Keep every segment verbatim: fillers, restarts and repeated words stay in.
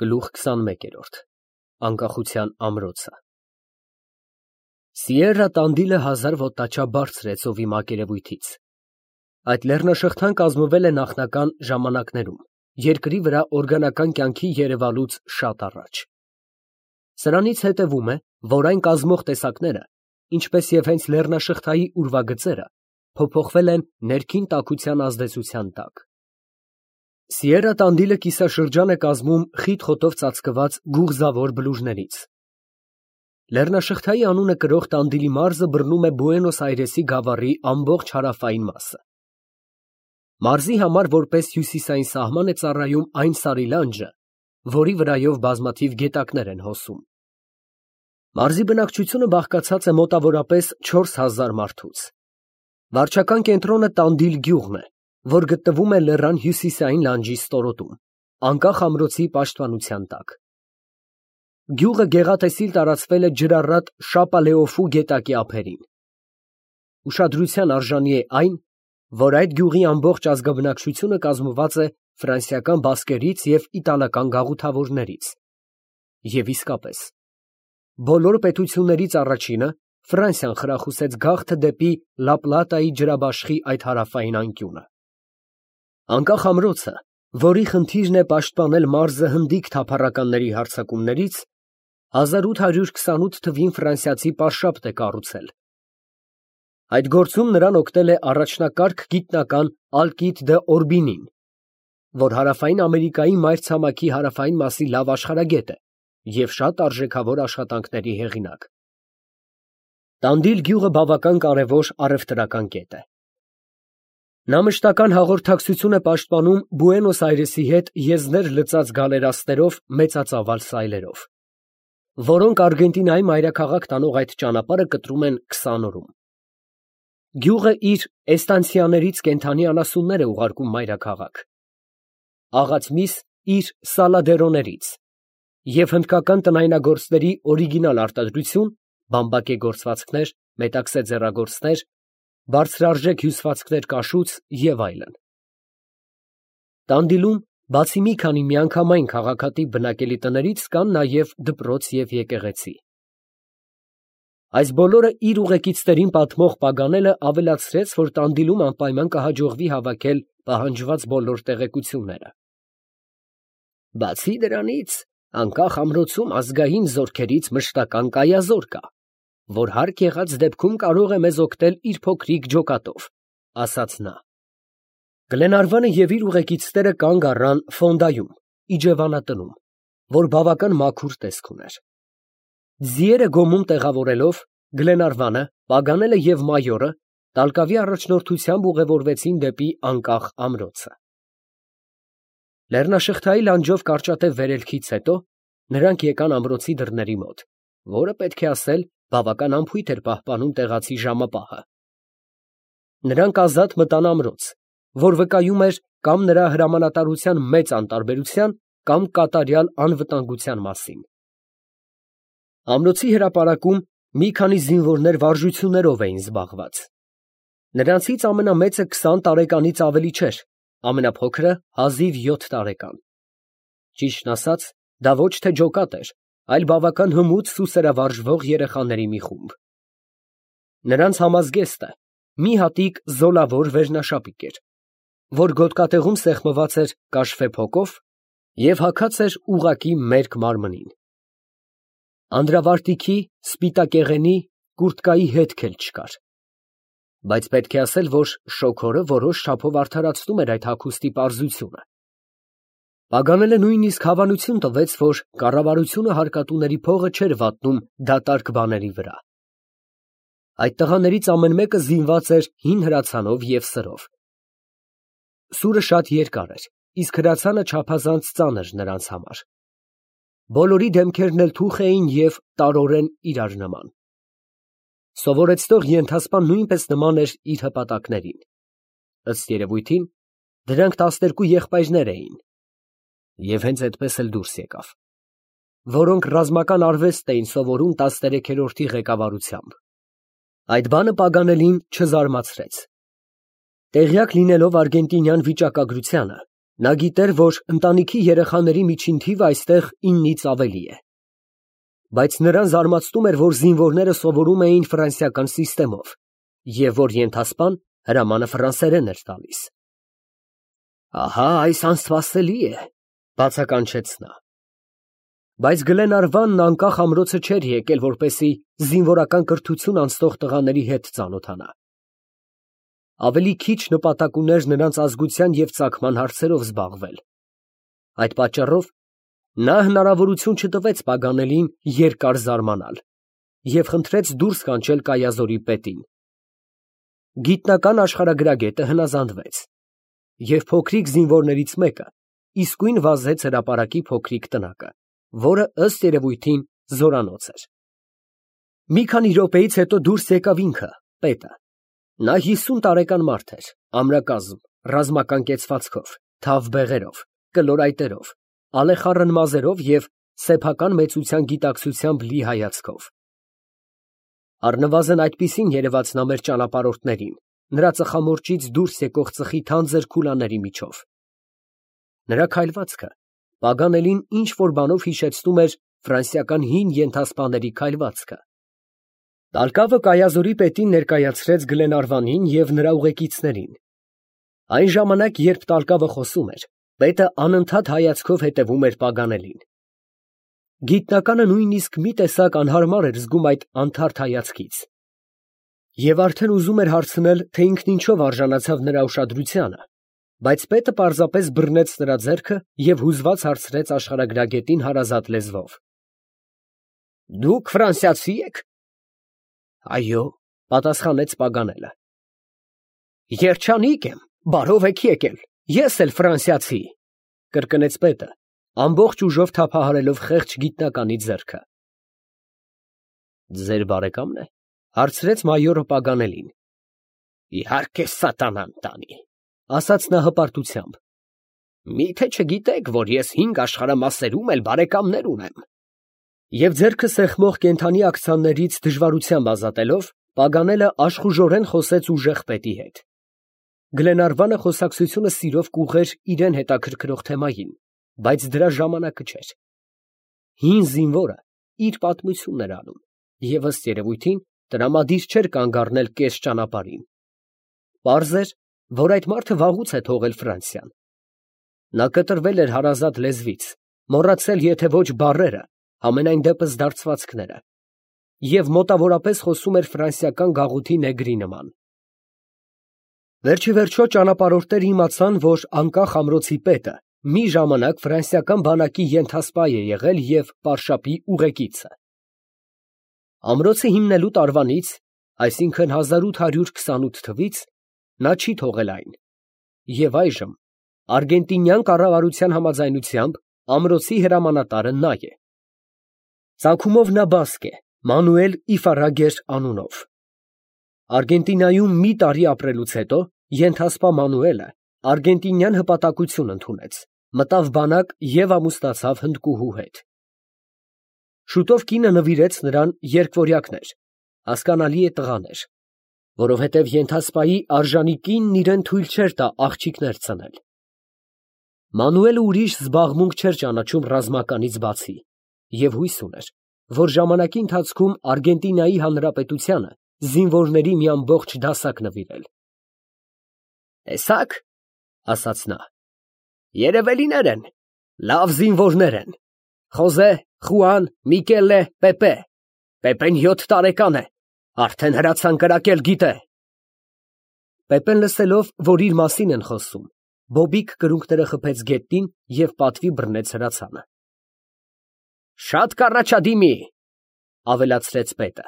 Գլուխ քսանմեկերորդ Անկախության ամրոցը Սիերրա տանդիլը հազար ոտնաչափ բարձր է ծովի մակերևույթից։ Այդ լեռնաշղթան կազմվել է նախնական ժամանակներում, երկրի վրա օրգանական կյանքի երևալուց շատ առաջ։ Սրանից հետևում է, որ այն կազմող տեսակները, ինչպես և հենց լեռնաշղթայի ուրվագծերը, փոփոխվել են ներքին տաքության ազդեցության տակ։ Սիերրա տանդիլը կիսաշրջան է կազմում խիտ խոտով ծածկված գուղզավոր բլուրներից։ Լեռնաշղթայի անունը կրող Տանդիլի մարզը բռնում է Բուենոս Այրեսի գավառի ամբողջ հարավային մասը։ Մարզի համար որպես հյուսիսային սահման է ծառայում այն սարի լանջը, որի վրայով բազմաթիվ գետակներ են հոսում։ Մարզի բնակչությունը բաղկացած է մոտավորապես չորս հազար մարդուց։ Վարչական կենտրոնը Տանդիլ գյուղն է, որ գտնվում է լեռան հյուսիսային լանջի ստորոտում, անկախ ամրոցի պաշտպանության տակ։ Գյուղը գեղատեսիլ տարածվել է ջրառատ Շապալեոֆու գետակի ափերին։ Ուշադրության արժանի է այն, որ այդ գյուղի ամբողջ ազգաբնակչությունը կազմված է ֆրանսիական բասկերից և իտալական գաղութավորներից։ Եվ իսկապես, բոլոր պետություններից առաջինը Ֆրանսիան խրախուսեց գաղթը դեպի Լա Պլատայի ջրաբաշխի այդ հարավային անկյունը։ Անկախ ամրոցը, որի խնդիրն է պաշտպանել մարզը հնդիկ թափառականների հարձակումներից, հազար ութ հարյուր քսանութ թվին ֆրանսիացի պատշապ է կառուցել։ Այդ գործում նրան օգնել է առաջնակարգ գիտնական Ալկիդ դ'Օրբինին, որ հարավային Ամերիկայի մայրցամաքի հարավային մասի լավ աշխարհագետ է և շատ արժեքավոր աշխատանքների հեղինակ։ Տանդիլ գյուղը բավական կարևոր առևտրական կետ է։ Նա մշտական հաղորդակցություն է պաշտպանում Բուենոս Այրեսի հետ եզներ լցած գալերաստներով մեծածավալ սայլերով, որոնք Արգենտինայի մայրաքաղաք տանող այդ ճանապարհը կտրում են քսան օրում։ Գյուղը իր էստանցիաներից կենդանի անասուններ է ուղարկում մայրաքաղաք, աղաց միս իր սալադերոներից և հնդկական տնայնագործների օրիգինալ արտադրություն, բամբակե գործվածքներ, մետաքսե ձեռագործներ, բարձրարժեք հյուսվածքներ կաշուց և այլն։ Տանդիլում, բացի մի քանի միանգամայն քաղաքատիպ բնակելի տներից, կան նաև դպրոց և եկեղեցի։ Այս բոլորը իր ուղեկիցներին պատմող Պագանելը ավելացրեց, որ Տանդիլում անպայման կհաջողվի հավաքել պահանջված բոլոր տեղեկությունները։ Բացի դրանից, անկախ ամրոցում ազգային զորքերից մշտական կայազոր կա, որ հարկ եղած դեպքում կարող է մեզ օգնել իր փոքրիկ ջոկատով, ասաց նա։ Գլենարվանը և իր ուղեկիցները կանգ առան ֆոնդայում, իջևանատնում, որ բավական մաքուր տեսք ուներ։ Ձիերը գոմում տեղավորելով, Գլենարվանը, Պագանելը և մայորը տալկավի առաջնորդությամբ ուղևորվեցին դեպի անկախ ամրոցը։ Լեռնաշղթայի լանջով կարճատև վերելքից հետո նրանք եկան ամրոցի դռների մոտ, որը, պետք է ասել, բավական անփույթ էր պահպանում տեղացի ժամապահը։ Նրանք ազատ մտան ամրոց, որ վկայում էր կամ նրա հրամանատարության մեծ անտարբերության, կամ կատարյալ անվտանգության մասին։ Ամրոցի հրապարակում մի քանի զինվորներ վարժություններով էին զբաղված։ Նրանցից ամենամեծը քսան տարեկանից ավելի չէր, ամենափոքրը հազիվ յոթ տարեկան։ Ճիշտն ասած, դա ոչ թե ջոկատ էր, այլ բավական հմուտ սուսերավարժվող երեխաների մի խումբ։ Նրանց համազգեստը մի հատիկ զոլավոր վերնաշապիկ էր, որ գոտկատեղում սեղմված էր կաշվե փոկով և հագած էր ուղղակի մերկ մարմնին։ Անդրավարտիքի, սպիտակեղենի, կուրտկայի հետք էլ չկար։ Բայց պետք է ասել, որ շոգորը որոշ չափով արդարացնում էր այդ հագուստի պարզությունը։ Պագանելը նույնիսկ հավանություն տվեց, որ կառավարությունը հարկատուների փողը չէր վատնում դատարկ բաների վրա։ Այդ տղաներից ամեն մեկը զինված էր հին հրացանով և սրով։ Սուրը շատ երկար էր, իսկ հրացանը չափազանց ծանր նրանց համար։ Բոլորի դեմքերն էլ թուխ էին և տարորեն իրար նման։ Սովորեցնող ենթասպան նույնպես նման էր իր հպատակներին։ Ըստ երևույթին, դրանք տասներկու եղբայրներ էին (և հենց այդպես էլ դուրս եկավ), որոնք ռազմական արվեստ էին սովորում տասներեքերորդի ղեկավարությամբ։ Այդ բանը Պագանելին չզարմացրեց։ Տեղյակ լինելով արգենտինյան վիճակագրությանը, Նա գիտեր, որ ընտանիքի երեխաների միջին թիվը այստեղ իննից ավելի է։ Բայց նրան զարմացնում էր, որ զինվորները սովորում էին ֆրանսիական սիստեմով, և որ ենթասպան հրամանը ֆրանսերեն էր տալիս։ Ահա այս անսպասելի է, բացականչեց նա։ Բայց Գլենարվանն անկախ ամրոցը չէր եկել, որպեսզի զինվորական կրթություն անցնող տղաների հետ ծանոթանա։ Ավելի քիչ նպատակ ուներ նրանց ազգության և ծագման հարցերով զբաղվել։ Այդ պատճառով նա հնարավորություն չտվեց Պագանելին երկար զարմանալ և խնդրեց դուրս կանչել Կայազորի պետին։ Գիտնական աշխարհագրագետը հնազանդվեց, և փոքրիկ զինվորներից մեկը իսկույն վազեց հրապարակի փոքրիկ տնակը, որը ըստ երևույթին զորանոց էր։ Մի քանի րոպեից հետո դուրս եկավ ինքը, պետը։ Նա հիսուն տարեկան մարդ էր, ամրակազմ, ռազմական կեցվածքով, թավ բեղերով, կլոր այտերով, ալեխառն մազերով և սեփական մեծության գիտակցությամբ լի հայացքով։ Առնվազն այդպիսին երևաց նա մեր ճանապարհորդներին, նրա ծխամորճից դուրս եկող ծխի թանձր քուլաների միջով։ Նրա քայլվածքը Պագանելին ինչ֊որ բանով հիշեցնում էր ֆրանսիական հին ենթասպաների քայլվածքը։ Տալկավը Կայազորի պետին ներկայացրեց Գլենարվանին և նրա ուղեկիցներին։ Այն ժամանակ, երբ Տալկավը խոսում էր, պետը անընդհատ հայացքով հետևում էր Պագանելին։ Գիտնականը նույնիսկ մի տեսակ անհարմար էր զգում այդ անթարթ հայացքից և արդեն ուզում էր հարցնել, թե ինքն ինչով արժանացավ նրա ուշադրությանը, բայց պետը պարզապես բռնեց նրա ձեռքը և հուզված հարցրեց աշխարհագրագետին հարազատ լեզվով. Դուք ֆրանսիացի եք։ Այո, պատասխանեց Պագանելը։ Երջանիկ եմ, բարով եք եկել, ես էլ ֆրանսիացի, կրկնեց պետը, ամբողջ ուժով թափահարելով խեղճ գիտնականի ձեռքը։ Ձեր բարեկամն է, հարցրեց մայորը Պագանելին։ Իհարկե սատանան տանի, ասաց նա հպարտությամբ։ Միթե չգիտեք, որ ես հինգ աշխարհամասերում էլ բարեկամներ ունեմ։ Եվ ձեռքը սեղմող կենդանի աքցաններից դժվարությամբ ազատելով, Պագանելը աշխուժորեն խոսեց ուժեղ պետի հետ։ Գլենարվանը խոսակցությունը սիրով կուղղեր իրան հետաքրքրող թեմային, բայց դրա ժամանակը չէր։ Հին զինվորը իր պատմությունն էր անում, և ըստ երևույթին տրամադիր չէր կանգ առնել կես ճանապարհին։ Պարզ էր, որ այդ մարդը վաղուց է թողել Ֆրանսիան։ Նա կտրվել էր հարազատ լեզվից, մոռացել եթե ոչ բառերը, համենայն դեպս դարձվածքները, և մոտավորապես խոսում էր ֆրանսիական գաղութի նեգրի նման։ Վերջիվերջո ճանապարհորդները իմացան, որ անկախ ամրոցի պետը մի ժամանակ ֆրանսիական բանակի ենթասպա է եղել և պարշապի ուղեկիցը։ Ամրոցը հիմնելու տարվանից, այսինքն հազար ութ հարյուր քսանութ թվականից, նա չի թողել այն, և այժմ արգենտինյան կառավարության համաձայնությամբ ամրոցի հրամանատարը նա է։ Ծագումով նա բասկ է, Մանուել Իֆարագեր անունով։ Արգենտինայում մի տարի ապրելուց հետո ենթասպա Մանուելը արգենտինյան հպատակություն ընդունեց, մտավ բանակ և ամուսնացավ հնդկուհու հետ։ Շուտով կինը նվիրեց նրան երկվորյակներ, հասկանալի է տղաներ, որովհետև ենթասպայի արժանի կինն իրան թույլ չէր տա աղջիկներ ծնել։ Մանուելը ուրիշ զբաղմունք չէր ճանաչում ռազմականից բացի և հույս ուներ, որ ժամանակի ընթացքում Արգենտինայի Հանրապետությանը զինվորների մի ամբողջ դասակ նվիրել։ Տեսա՞ք, ասաց նա, երևելիներ են, լավ զինվորներ են, Խոզե, Խուան, Միկելե, Պեպե, Պեպեն յոթ տարեկան է, արդեն հրացան կրակել գիտե։ Պեպեն լսելով, որ իր մասին են խոսում, բոբիկ կրունկները խփեց գետնին և պատվի բռնեց հրացանը։ Շատ կառաջադիմի, ավելացրեց պետը,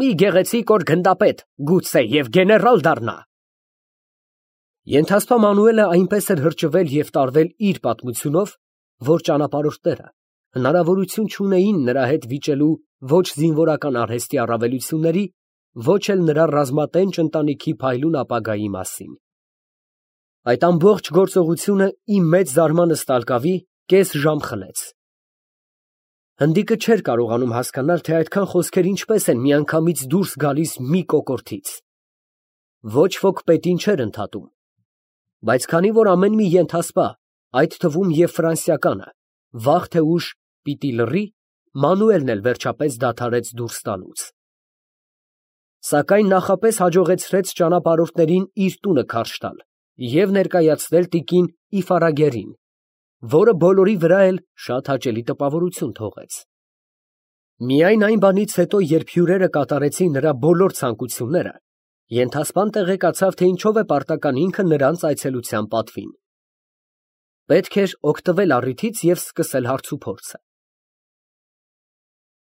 մի գեղեցիկ օր գնդապետ, գուցե և գեներալ դառնա։ Ենթասպա Մանուելը այնպես էր հրճվել և տարվել իր պատմությունով, որ ճանապարհորդները հնարավորություն չունեին նրա հետ վիճելու ոչ զինվորական արհեստի առավելությունների, ոչ էլ նրա ռազմատենչ ընտանիքի փայլուն ապագայի մասին։ Այդ ամբողջ գործողությունը իմ մեծ զարմանս Տալկավի կես ժամ խլեց։ Հնդիկը չէր կարողանում հասկանալ, թե այդքան խոսքեր ինչպես են միանգամից դուրս գալիս մի կոկորդից։ Ոչ ոք պետին չէր ընդհատում։ Բայց քանի որ ամեն մի ենթասպա, այդ թվում և ֆրանսիականը, վաղ թե ուշ պիտի լռի, Մանուելն էլ վերջապես դադարեց դուրս տալուց։ Սակայն նախապես հաջողեցրեց ճանապարհորդներին իր տունը քարշ տալ և ներկայացնել տիկին Իֆարագերին, որը բոլորի վրա էլ շատ հաճելի տպավորություն թողեց։ Միայն այն բանից հետո, երբ հյուրերը կատարեցին նրա բոլոր ցանկությունները, ենթասպան տեղեկացավ, թե ինչով է պարտական ինքը նրանց այցելության պատվին։ Պետք էր օգտվել առիթից և սկսել հարցուփորձը։